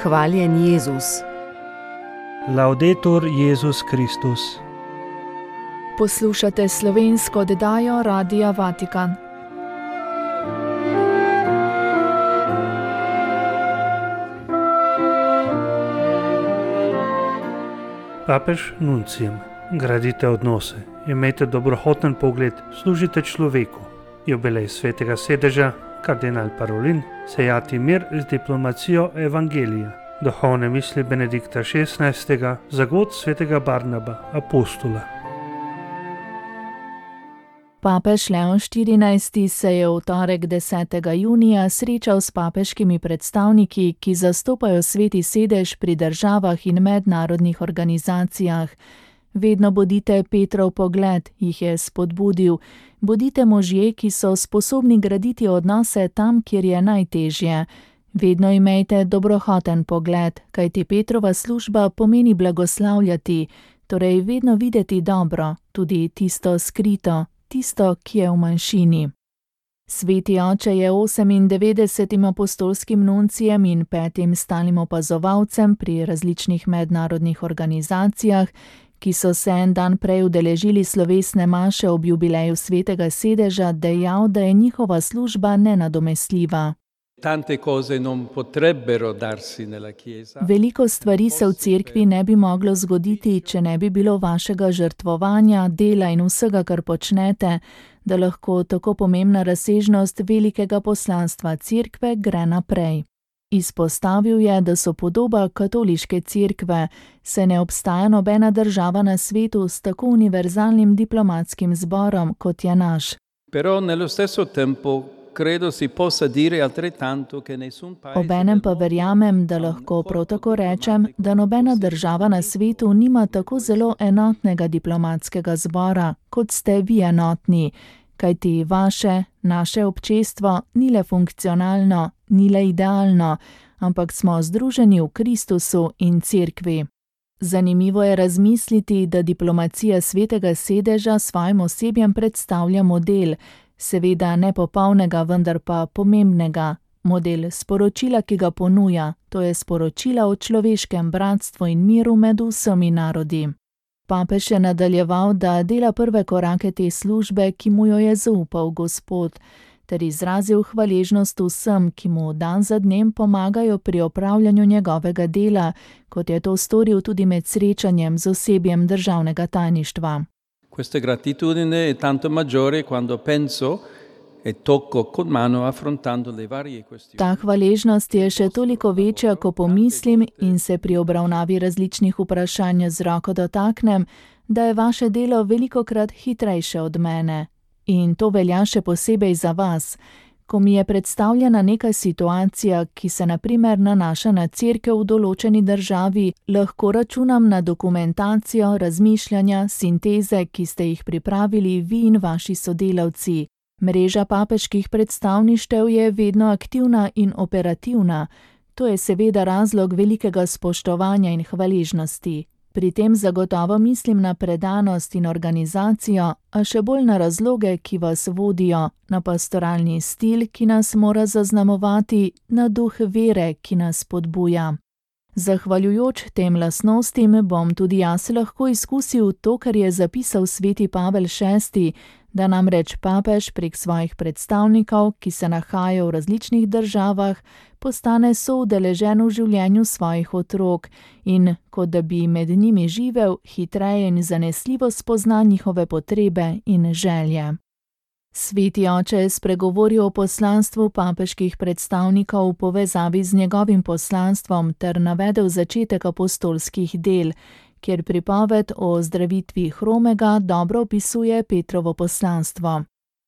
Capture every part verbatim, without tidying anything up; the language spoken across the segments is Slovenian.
Hvaljen Jezus. Laudetur Jezus Kristus. Poslušate slovensko oddajo Radia Vatikan. Papež nuncijem: gradite odnose, imejte dobrohoten pogled, služite človeku. Jubilej svetega sedeža, kardinal Parolin, sejati mir z diplomacijo evangelija. Duhovne misli Benedikta šestnajstega, zagod svetega Barnaba, apostola. Papež Leon štirinajsti se je v torek desetega junija srečal s papeškimi predstavniki, ki zastopajo sveti sedež pri državah in mednarodnih organizacijah. Vedno bodite Petrov pogled, jih je spodbudil. Bodite možje, ki so sposobni graditi odnose tam, kjer je najtežje. Vedno imejte dobrohoten pogled, kajti Petrova služba pomeni blagoslavljati, torej vedno videti dobro, tudi tisto skrito, tisto, ki je v manjšini. Sveti oče je osemindevetdesetim apostolskim nuncijem in petim stalnim opazovalcem pri različnih mednarodnih organizacijah, ki so se en dan prej udeležili slovesne maše ob jubileju svetega sedeža, dejal, da je njihova služba nenadomestljiva. Tante cose non potrebbero darsi nella Chiesa. Veliko stvari se v cerkvi ne bi moglo zgoditi, če ne bi bilo vašega žrtvovanja, dela in vsega, kar počnete, da lahko tako pomembna razsežnost velikega poslanstva cerkve gre naprej. Izpostavil je, da so podoba katoliške cerkve, saj ne obstaja nobena država na svetu s tako univerzalnim diplomatskim zborom, kot je naš. Però nello stesso tempo credo si possa dire altrettanto che nessun paese. Obenem pa verjamem, da lahko prav tako rečem, da nobena država na svetu nima tako zelo enotnega diplomatskega zbora, kot ste vi enotni, kajti vaše, naše občestvo ni le funkcionalno, ni le idealno, ampak smo združeni v Kristusu in cerkvi. Zanimivo je razmisliti, da diplomacija svetega sedeža svojim osebjem predstavlja model, seveda nepopolnega, vendar pa pomembnega, model sporočila, ki ga ponuja, to je sporočila o človeškem bratstvu in miru med vsemi narodi. Papež je nadaljeval, da dela prve korake te službe, ki mu jo je zaupal Gospod, ter izrazil hvaležnost vsem, ki mu dan za dnem pomagajo pri opravljanju njegovega dela, kot je to storil tudi med srečanjem z osebjem državnega tajništva. Questa gratitudine è tanto maggiore quando penso e tocco con mano affrontando le varie questioni. Ta hvaležnost je še toliko večja, ko pomislim in se pri obravnavi različnih vprašanj z roko dotaknem, da je vaše delo velikokrat hitrejše od mene. In to velja še posebej za vas. Ko mi je predstavljena neka situacija, ki se na primer nanaša na cerkev v določeni državi, lahko računam na dokumentacijo, razmišljanja, sinteze, ki ste jih pripravili vi in vaši sodelavci. Mreža papeških predstavništev je vedno aktivna in operativna. To je seveda razlog velikega spoštovanja in hvaležnosti. Pri tem zagotovo mislim na predanost in organizacijo, a še bolj na razloge, ki vas vodijo, na pastoralni stil, ki nas mora zaznamovati, na duh vere, ki nas spodbuja. Zahvaljujoč tem lastnostim bom tudi jaz lahko izkusil to, kar je zapisal sveti Pavel šesti, da namreč papež prek svojih predstavnikov, ki se nahajajo v različnih državah, postane soudeležen v življenju svojih otrok in, kot da bi med njimi živel, hitreje in zanesljivo spozna njihove potrebe in želje. Sveti oče je spregovoril o poslanstvu papeških predstavnikov v povezavi z njegovim poslanstvom ter navedel začetek apostolskih del, kjer pripoved o zdravitvi hromega dobro opisuje Petrovo poslanstvo.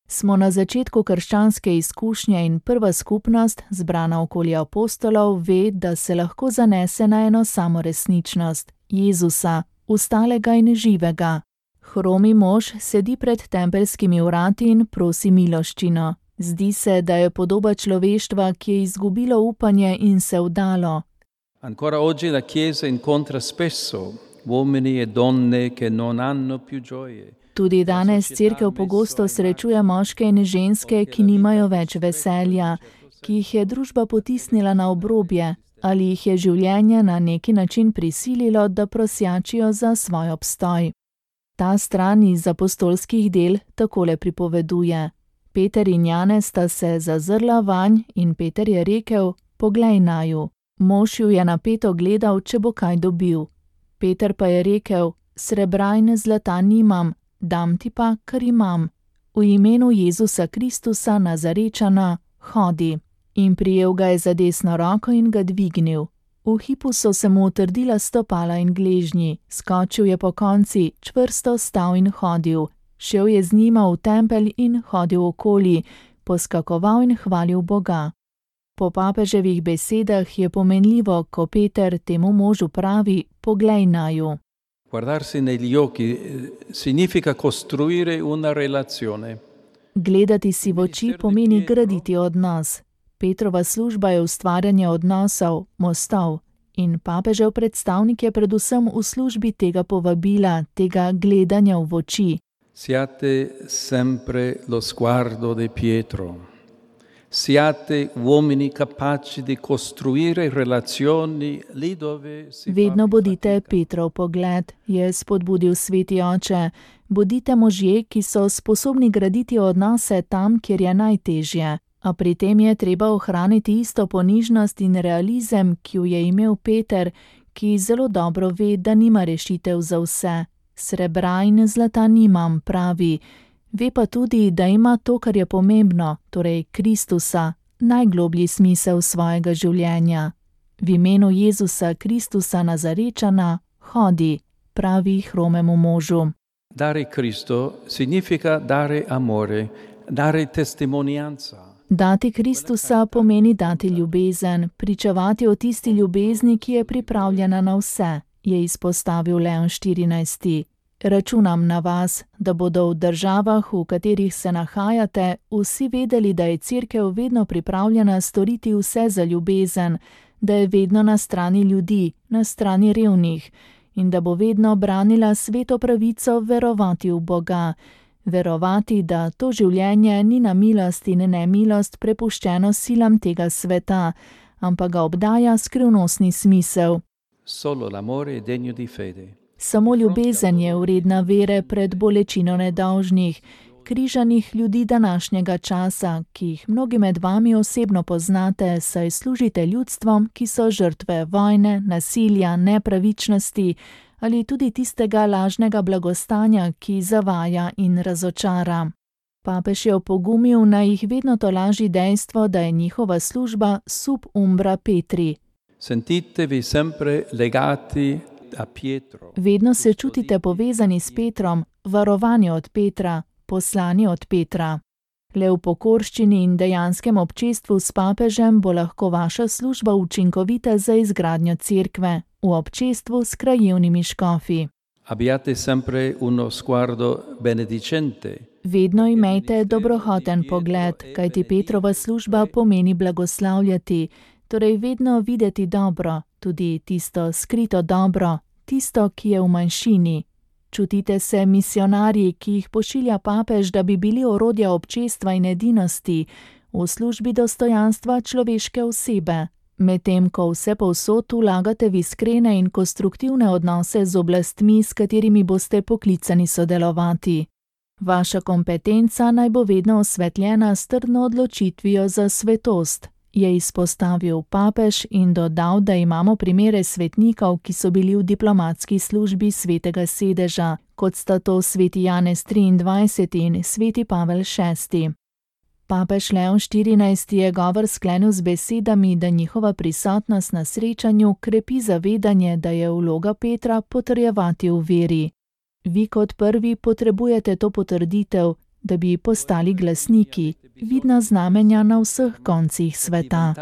Smo na začetku krščanske izkušnje in prva skupnost, zbrana okoli apostolov, ve, da se lahko zanese na eno samo resničnost, Jezusa, ustalega in živega. Hromi mož sedi pred tempeljskimi vrati in prosi miloščino. Zdi se, da je podoba človeštva, ki je izgubilo upanje in se vdalo. Ancora oggi la Chiesa incontra spesso uomini e donne che non hanno più gioie. Tudi danes cerkev pogosto srečuje moške in ženske, ki nimajo več veselja, ki jih je družba potisnila na obrobje, ali jih je življenje na neki način prisililo, da prosjačijo za svoj obstoj. Ta stran iz apostolskih del takole pripoveduje. Peter in Janez sta se zazrla vanj in Peter je rekel: "Poglej naju." Mož ju je napeto gledal, če bo kaj dobil. Peter pa je rekel: "Srebra in zlata nimam, dam ti pa, kar imam. V imenu Jezusa Kristusa Nazarečana, hodi." In prijel ga je za desno roko in ga dvignil. V hipu so se mu utrdila stopala in gležnji, skočil je po konci, čvrsto stal in hodil. Šel je z njima v tempelj in hodil okoli, poskakoval in hvalil Boga. Po papeževih besedah je pomenljivo, ko Peter temu možu pravi: "Poglej naju." Guardarsi negli occhi significa costruire una relazione. Gledati si v oči pomeni graditi odnos. Petrova služba je ustvarjanje odnosov, mostov, in papežev predstavnik je predvsem v službi tega povabila, tega gledanja v oči. Siate sempre lo sguardo di Pietro. Siate uomini capaci di costruire relazioni lì dove si Vedno bodite Petrov pogled, je spodbudil sveti oče. Bodite možje, ki so sposobni graditi odnose tam, kjer je najtežje. A pri tem je treba ohraniti isto ponižnost in realizem, ki jo je imel Peter, ki zelo dobro ve, da nima rešitev za vse. Srebra in zlata nimam, pravi. Ve pa tudi, da ima to, kar je pomembno, torej Kristusa, najgloblji smisel svojega življenja. V imenu Jezusa Kristusa Nazarečana, hodi, pravi hromemu možu. Dare Cristo significa dare amore, dare testimonianza. Dati Kristusa pomeni dati ljubezen, pričevati o tisti ljubezni, ki je pripravljena na vse, je izpostavil Leon štirinajsti. Računam na vas, da bodo v državah, v katerih se nahajate, vsi vedeli, da je Cerkev vedno pripravljena storiti vse za ljubezen, da je vedno na strani ljudi, na strani revnih, in da bo vedno branila sveto pravico verovati v Boga. Verovati, da to življenje ni na milost in nemilost prepuščeno silam tega sveta, ampak ga obdaja skrivnostni smisel. Solo l'amore è degno di fede. Samo ljubezen je vredna vere pred bolečino nedolžnih, križanih ljudi današnjega časa, ki jih mnogi med vami osebno poznate, saj služite ljudstvom, ki so žrtve vojne, nasilja, nepravičnosti ali tudi tistega lažnega blagostanja, ki zavaja in razočara. Papež je opogumil, naj jih vedno tolaži dejstvo, da je njihova služba sub umbra Petri. Sentitevi sempre legati a Pietro. Vedno se čutite povezani s Petrom, varovani od Petra, poslani od Petra. Le v pokorščini in dejanskem občestvu s papežem bo lahko vaša služba učinkovita za izgradnjo cerkve, v občestvu s krajevnimi škofi. Abbiate sempre uno sguardo benedicente. Vedno imejte dobrohoten pogled, kajti Petrova služba pomeni blagoslavljati, torej vedno videti dobro, tudi tisto skrito dobro, tisto, ki je v manjšini. Čutite se misionarji, ki jih pošilja papež, da bi bili orodja občestva in edinosti, v službi dostojanstva človeške osebe. Medtem ko vse povsod vlagate v iskrene in konstruktivne odnose z oblastmi, s katerimi boste poklicani sodelovati. Vaša kompetenca naj bo vedno osvetljena s trdno odločitvijo za svetost, je izpostavil papež in dodal, da imamo primere svetnikov, ki so bili v diplomatski službi svetega sedeža, kot sta to sveti Janez triindvajseti in sveti Pavel šesti. Papež Leon štirinajsti je govor sklenil z besedami, da njihova prisotnost na srečanju krepi zavedanje, da je vloga Petra potrjevati v veri. Vi kot prvi potrebujete to potrditev, da bi postali glasniki, vidna znamenja na vseh koncih sveta.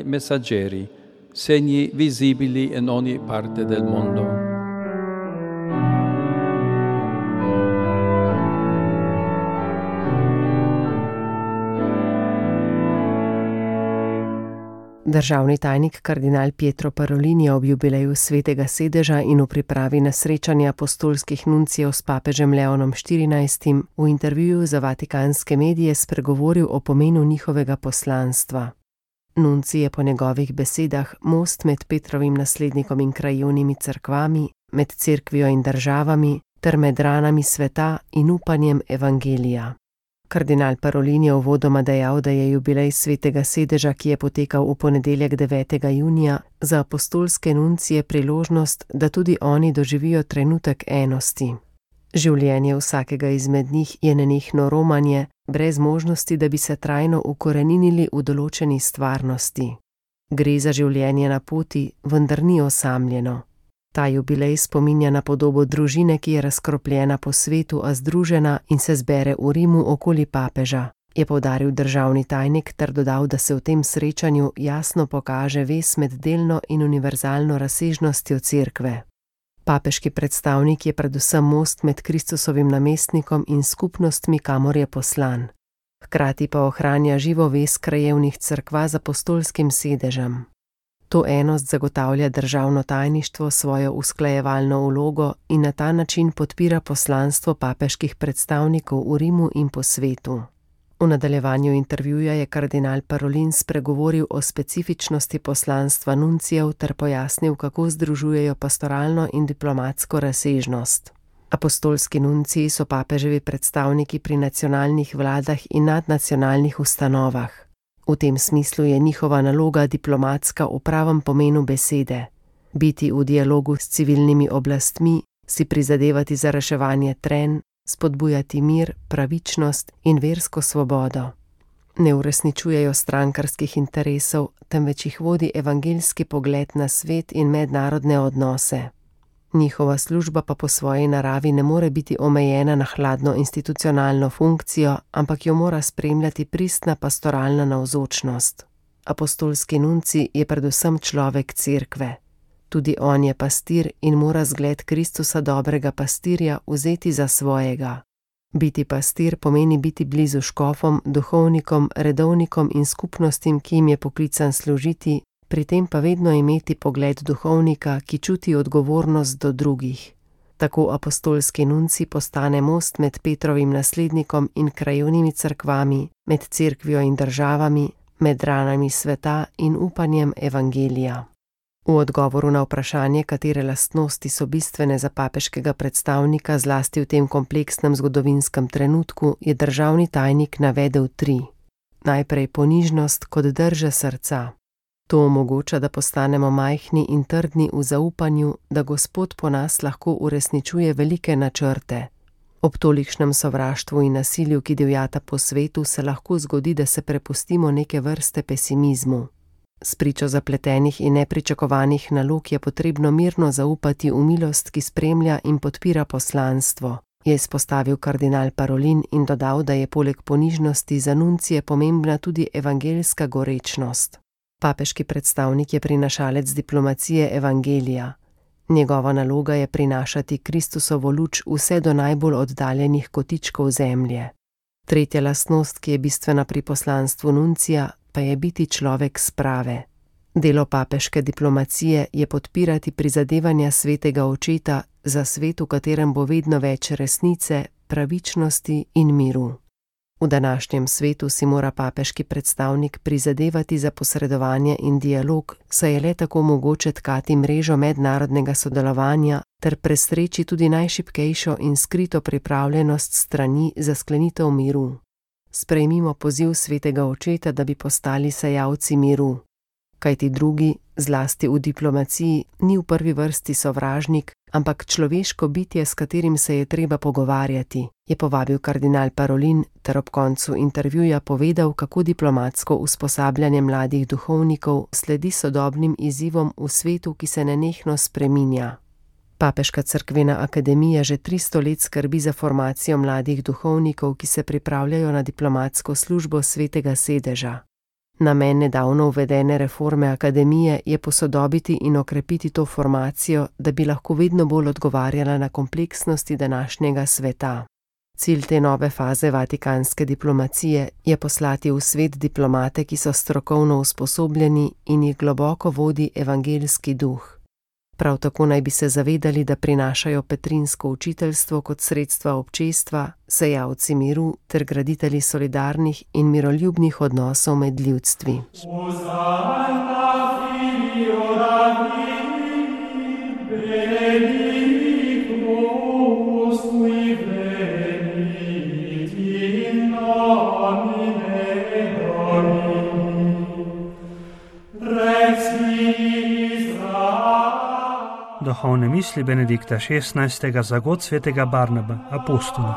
Messaggeri, segni visibili in ogni parte del mondo. Državni tajnik kardinal Pietro Parolin je ob jubileju svetega sedeža in v pripravi na srečanje apostolskih nuncijev s papežem Leonom štirinajstim v intervjuju za vatikanske medije spregovoril o pomenu njihovega poslanstva. Nuncij je po njegovih besedah most med Petrovim naslednikom in krajevnimi cerkvami, med cerkvijo in državami, ter med ranami sveta in upanjem evangelija. Kardinal Parolin je uvodoma dejal, da je jubilej svetega sedeža, ki je potekal v ponedeljek devetega junija, za apostolske nuncije priložnost, da tudi oni doživijo trenutek enosti. Življenje vsakega izmed njih je nenehno romanje, brez možnosti, da bi se trajno ukoreninili v določeni stvarnosti. Gre za življenje na poti, vendar ni osamljeno. Ta jubilej spominja na podobo družine, ki je razkropljena po svetu, a združena in se zbere v Rimu okoli papeža, je poudaril državni tajnik ter dodal, da se v tem srečanju jasno pokaže vez med delno in univerzalno razsežnostjo cerkve. Papeški predstavnik je predvsem most med Kristusovim namestnikom in skupnostmi, kamor je poslan. Hkrati pa ohranja živo vez krajevnih cerkva z apostolskim sedežem. To enost zagotavlja državno tajništvo svojo usklajevalno vlogo in na ta način podpira poslanstvo papeških predstavnikov v Rimu in po svetu. V nadaljevanju intervjuja je kardinal Parolin spregovoril o specifičnosti poslanstva nuncijev ter pojasnil, kako združujejo pastoralno in diplomatsko razsežnost. Apostolski nunciji so papeževi predstavniki pri nacionalnih vladah in nadnacionalnih ustanovah. V tem smislu je njihova naloga diplomatska v pravem pomenu besede. Biti v dialogu s civilnimi oblastmi, si prizadevati za reševanje trenj, spodbujati mir, pravičnost in versko svobodo. Ne uresničujejo strankarskih interesov, temveč jih vodi evangeljski pogled na svet in mednarodne odnose. Njihova služba pa po svoji naravi ne more biti omejena na hladno institucionalno funkcijo, ampak jo mora spremljati pristna pastoralna navzočnost. Apostolski nuncij je predvsem človek cerkve. Tudi on je pastir in mora zgled Kristusa dobrega pastirja vzeti za svojega. Biti pastir pomeni biti blizu škofom, duhovnikom, redovnikom in skupnostim, ki jim je poklican služiti, pri tem pa vedno imeti pogled duhovnika, ki čuti odgovornost do drugih. Tako apostolski nuncij postane most med Petrovim naslednikom in krajevnimi cerkvami, med cerkvijo in državami, med ranami sveta in upanjem evangelija. V odgovoru na vprašanje, katere lastnosti so bistvene za papeškega predstavnika zlasti v tem kompleksnem zgodovinskem trenutku, je državni tajnik navedel tri. Najprej ponižnost kot drže srca. To omogoča, da postanemo majhni in trdni v zaupanju, da Gospod po nas lahko uresničuje velike načrte. Ob tolikšnem sovraštvu in nasilju, ki divjata po svetu, se lahko zgodi, da se prepustimo neke vrste pesimizmu. Spričo zapletenih in nepričakovanih nalog je potrebno mirno zaupati v milost, ki spremlja in podpira poslanstvo, je izpostavil kardinal Parolin in dodal, da je poleg ponižnosti za nuncije pomembna tudi evangeljska gorečnost. Papeški predstavnik je prinašalec diplomacije evangelija. Njegova naloga je prinašati Kristusovo luč vse do najbolj oddaljenih kotičkov zemlje. Tretja lastnost, ki je bistvena pri poslanstvu nuncija, pa je biti človek sprave. Delo papeške diplomacije je podpirati prizadevanja svetega očeta za svet, v katerem bo vedno več resnice, pravičnosti in miru. V današnjem svetu si mora papeški predstavnik prizadevati za posredovanje in dialog, saj je le tako mogoče tkati mrežo mednarodnega sodelovanja ter presreči tudi najšibkejšo in skrito pripravljenost strani za sklenitev miru. Sprejmimo poziv svetega očeta, da bi postali sejalci miru. Kajti drugi, zlasti v diplomaciji, ni v prvi vrsti sovražnik, ampak človeško bitje, s katerim se je treba pogovarjati, je povabil kardinal Parolin ter ob koncu intervjuja povedal, kako diplomatsko usposabljanje mladih duhovnikov sledi sodobnim izzivom v svetu, ki se nenehno spreminja. Papeška cerkvena akademija že tristo let skrbi za formacijo mladih duhovnikov, ki se pripravljajo na diplomatsko službo svetega sedeža. Namen nedavno uvedene reforme akademije je posodobiti in okrepiti to formacijo, da bi lahko vedno bolj odgovarjala na kompleksnosti današnjega sveta. Cilj te nove faze vatikanske diplomacije je poslati v svet diplomate, ki so strokovno usposobljeni in jih globoko vodi evangeljski duh. Prav tako naj bi se zavedali, da prinašajo petrinsko učiteljstvo kot sredstva občestva, sejalci miru ter graditelji solidarnih in miroljubnih odnosov med ljudstvi. Duhovne misli Benedikta šestnajstega za god svetega Barnaba, apostola.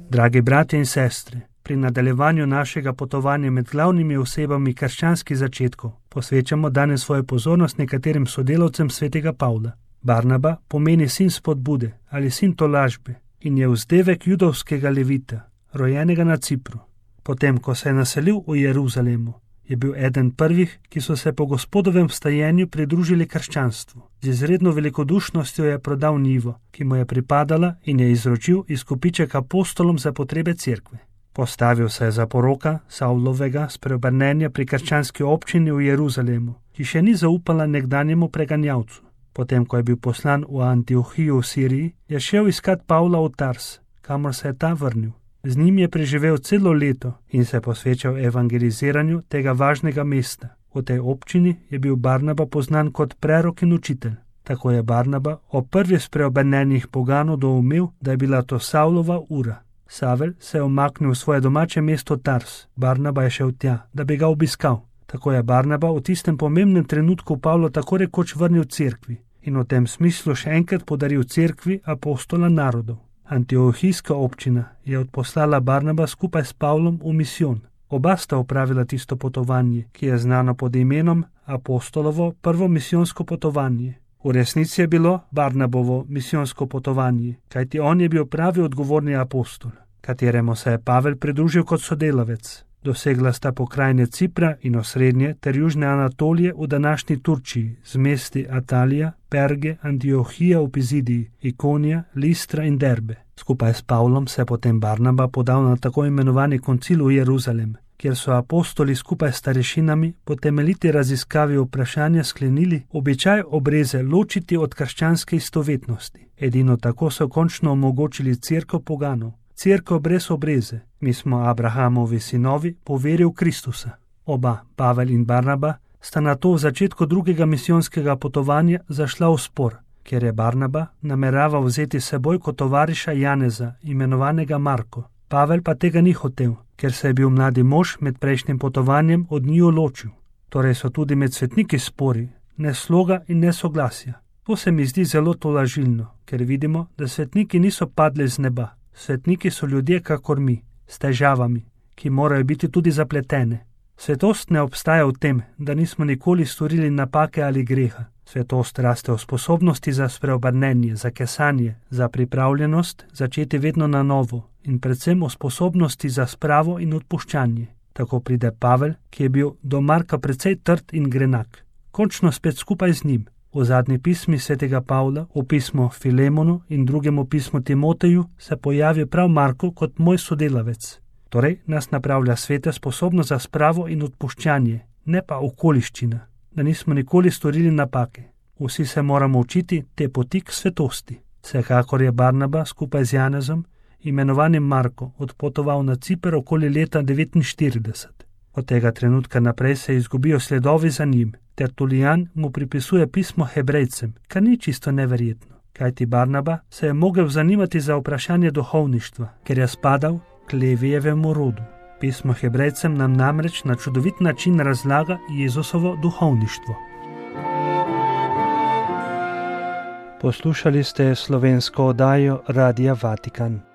Dragi bratje in sestre, pri nadaljevanju našega potovanja med glavnimi osebami krščanskih začetkov posvečamo danes svojo pozornost nekaterim sodelavcem svetega Pavla. Barnaba pomeni sin spodbude ali sin tolažbe in je vzdevek judovskega levita, rojenega na Cipru. Potem, ko se je naselil v Jeruzalemu, je bil eden prvih, ki so se po Gospodovem vstajenju pridružili krščanstvu. Z izredno velikodušnostjo je prodal njivo, ki mu je pripadala, in je izročil izkupiček apostolom za potrebe cerkve. Postavil se je za poroka Savlovega spreobrnenja pri krščanski občini v Jeruzalemu, ki še ni zaupala nekdanjemu preganjavcu. Potem, ko je bil poslan v Antiohijo v Siriji, je šel iskat Pavla v Tars, kamor se je ta vrnil. Z njim je preživel celo leto in se posvečal evangeliziranju tega važnega mesta. V tej občini je bil Barnaba poznan kot prerok in učitelj. Tako je Barnaba o prvi spreobrnjenih poganov doumel, da je bila to Savlova ura. Savel se je umaknil v svoje domače mesto Tars. Barnaba je šel tja, da bi ga obiskal. Tako je Barnaba v tistem pomembnem trenutku Pavlo tako rekoč vrnil cerkvi in v tem smislu še enkrat podaril cerkvi apostola narodov. Antiohijska občina je odposlala Barnaba skupaj s Pavlom v misijon. Oba sta opravila tisto potovanje, ki je znano pod imenom apostolovo prvo misijonsko potovanje. V resnici je bilo Barnabovo misijonsko potovanje, kajti on je bil pravi odgovorni apostol, kateremu se je Pavel pridružil kot sodelavec. Dosegla sta pokrajine Cipra in osrednje ter južne Anatolije v današnji Turčiji z mesti Atalija, Perge, Antiohija v Pizidiji, Ikonija, Listra in Derbe. Skupaj s Pavlom se je potem Barnaba podal na tako imenovani koncil v Jeruzalem, kjer so apostoli skupaj s starešinami po temeljiti raziskavi vprašanja sklenili običaj obreze ločiti od krščanske istovetnosti. Edino tako so končno omogočili cerkev poganov. Cerkev brez obreze. Mi smo Abrahamovi sinovi po veri v Kristusa. Oba, Pavel in Barnaba, sta na to v začetku drugega misijonskega potovanja zašla v spor, ker je Barnaba nameraval vzeti seboj kot tovariša Janeza, imenovanega Marko. Pavel pa tega ni hotel, ker se je bil mladi mož med prejšnjim potovanjem od njiju ločil. Torej so tudi med svetniki spori, ne sloga in ne soglasja. To se mi zdi zelo tolažilno, ker vidimo, da svetniki niso padli z neba. Svetniki so ljudje kakor mi, s težavami, ki morajo biti tudi zapletene. Svetost ne obstaja v tem, da nismo nikoli storili napake ali greha. Svetost raste v sposobnosti za spreobrnenje, za kesanje, za pripravljenost začeti vedno na novo in predvsem v sposobnosti za spravo in odpuščanje. Tako pride Pavel, ki je bil do Marka precej trd in grenak. Končno spet skupaj z njim. V zadnji pismi svetega Pavla, v pismu Filemonu in drugemu pismu Timoteju, se pojavi prav Marko kot moj sodelavec. Torej nas napravlja svete sposobno za spravo in odpuščanje, ne pa okoliščina, da nismo nikoli storili napake. Vsi se moramo učiti te poti k svetosti. Vsekakor je Barnaba skupaj z Janezom, imenovanim Marko, odpotoval na Ciper okoli leta devetinštirideset. Od tega trenutka naprej se izgubijo sledovi za njim. Tertulijan mu pripisuje pismo Hebrejcem, kar ni čisto neverjetno, kajti Barnaba se je mogel zanimati za vprašanje duhovništva, ker je spadal k Levijevemu rodu. Pismo Hebrejcem nam namreč na čudovit način razlaga Jezusovo duhovništvo. Poslušali ste slovensko oddajo Radia Vatikan.